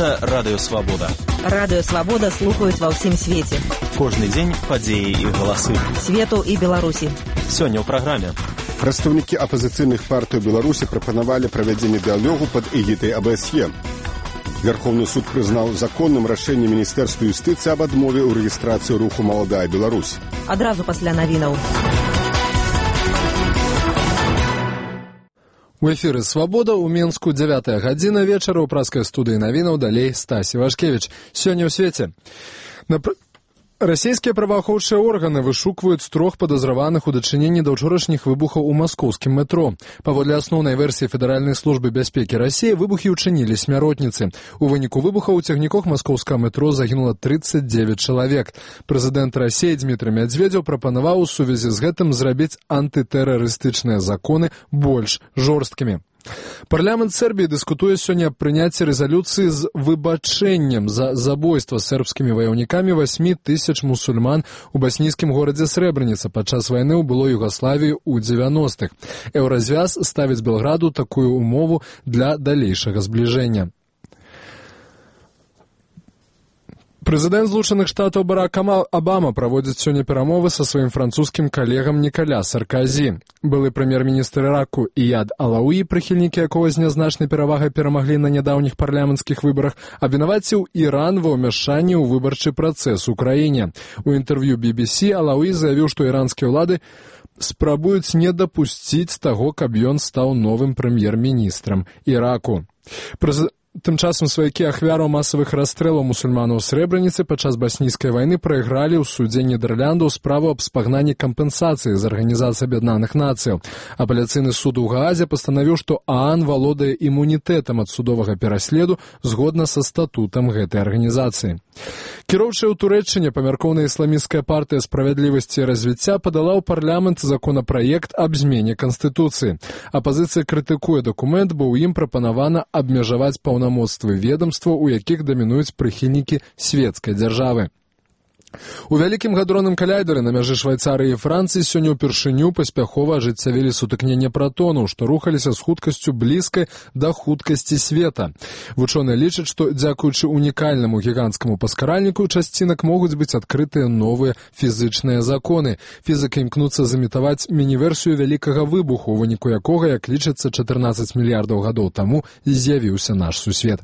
Гэта Радыё Свабода. Радыё Свабода слухаюць ва ўсім свеце. Кожны дзень падзеі і галасы. Свету і Беларусі. Сёння ў праграме. Прадстаўнікі апазіцыйных партый Беларусі прапанавалі правядзенне дыялогу пад эгідай АБСЕ. Верховны суд прызнаў законным рашэнне Міністэрства юстыцыі аб адмове ў рэгістрацыі руху «Маладая Беларусь». Адразу пасля навінаў. У эфіры «Свабода» ў Мінску 9 гадзіна вечара ў праскай студыі навінаў далей Стасі Вашкевіч. Сёння ў свеце. Расійскія праваахоўчыя органы вышукваюць 3 падазраваных у дачыненні да ўчорашніх выбухаў у маскоўскім метро. Паводле асноўнай версіі Федэральнай службы бяспекі Расіі, выбухі ўчынілі смяротніцы. У выніку выбухаў у цягніках маскоўскага метро загінула 39 чалавек. Прэзідэнт Расіі Дмітрый Медведзеў прапанаваў у сувязі з гэтым зрабіць антытэрарыстычныя законы больш жорсткімі. Парламент Сербіі дыскутуе сёння аб прыняцці рэзалюцыі з выбачэннем за забойства сербскімі ваяўнікамі 8 тысяч мусульман у баснійскім горадзе Срэбраніца падчас вайны ў былой Югаславіі ў 90-х. Еўразвяз ставіць Белграду такую умову для далейшага збліжэння. Прэзідэнт Злучаных Штатаў Барак Абама праводзіць сёння перамовы са сваім французскім калегам Нікаля Сарказі. Былы прэм'ер-міністр Іраку Ияд Алауі, прыхільнікі якога з нязначнай перавагай перамаглі на нядаўніх парламенцкіх выбарах, абвінаваціў Іран ва ўмяшанні ў выбарчы працэс у краіне. У інтэрв'ю BBC Алауі заявіў, што іранскія ўлады спрабуюць не дапусціць таго, каб ён стаў новым прэм'ер-міністрам Іраку. Тым часам сваякі ахвяраў масавых расстрэлаў мусульманаў у Срэбраніцы падчас баснійскай вайны прайгралі ў судзе Нідэрляндаў справу аб спагнанні кампенсацыі з Арганізацыі Аб'яднаных Нацыяў. Апеляцыйны суд у Гаазе пастанавіў, што ААН валодае імунітэтам ад судовага пераследу згодна са статутам гэтай арганізацыі. Кіроўчая ў Турэччыне памяркоўная ісламісцкая партыя справядлівасці і развіцця падала ў парламент законапраект аб змене Канстытуцыі. Апазіцыя крытыкуе дакумент, бо ў ім прапанавана абмежаваць паўнамоцтвы ведамства, у якіх дамінуюць прыхільнікі свецкай дзяржавы. У вялікім гадронным каляйдары на мяжы Швайцарыі і Францыі сёння ўпершыню паспяхова ажыццявілі сутыкненне пратонаў, што рухаліся з хуткасцю блізкай да хуткасці света. Вучоныя лічаць, што дзякуючы унікальнаму гіганцкаму паскаральніку часцінак могуць быць адкрытыя новыя фізычныя законы. Фізіка імкнуцца замітаваць мініверсію вялікага выбуху, у выніку якога, як лічыцца, 14 мільярдаў гадоў таму з'явіўся наш сусвет.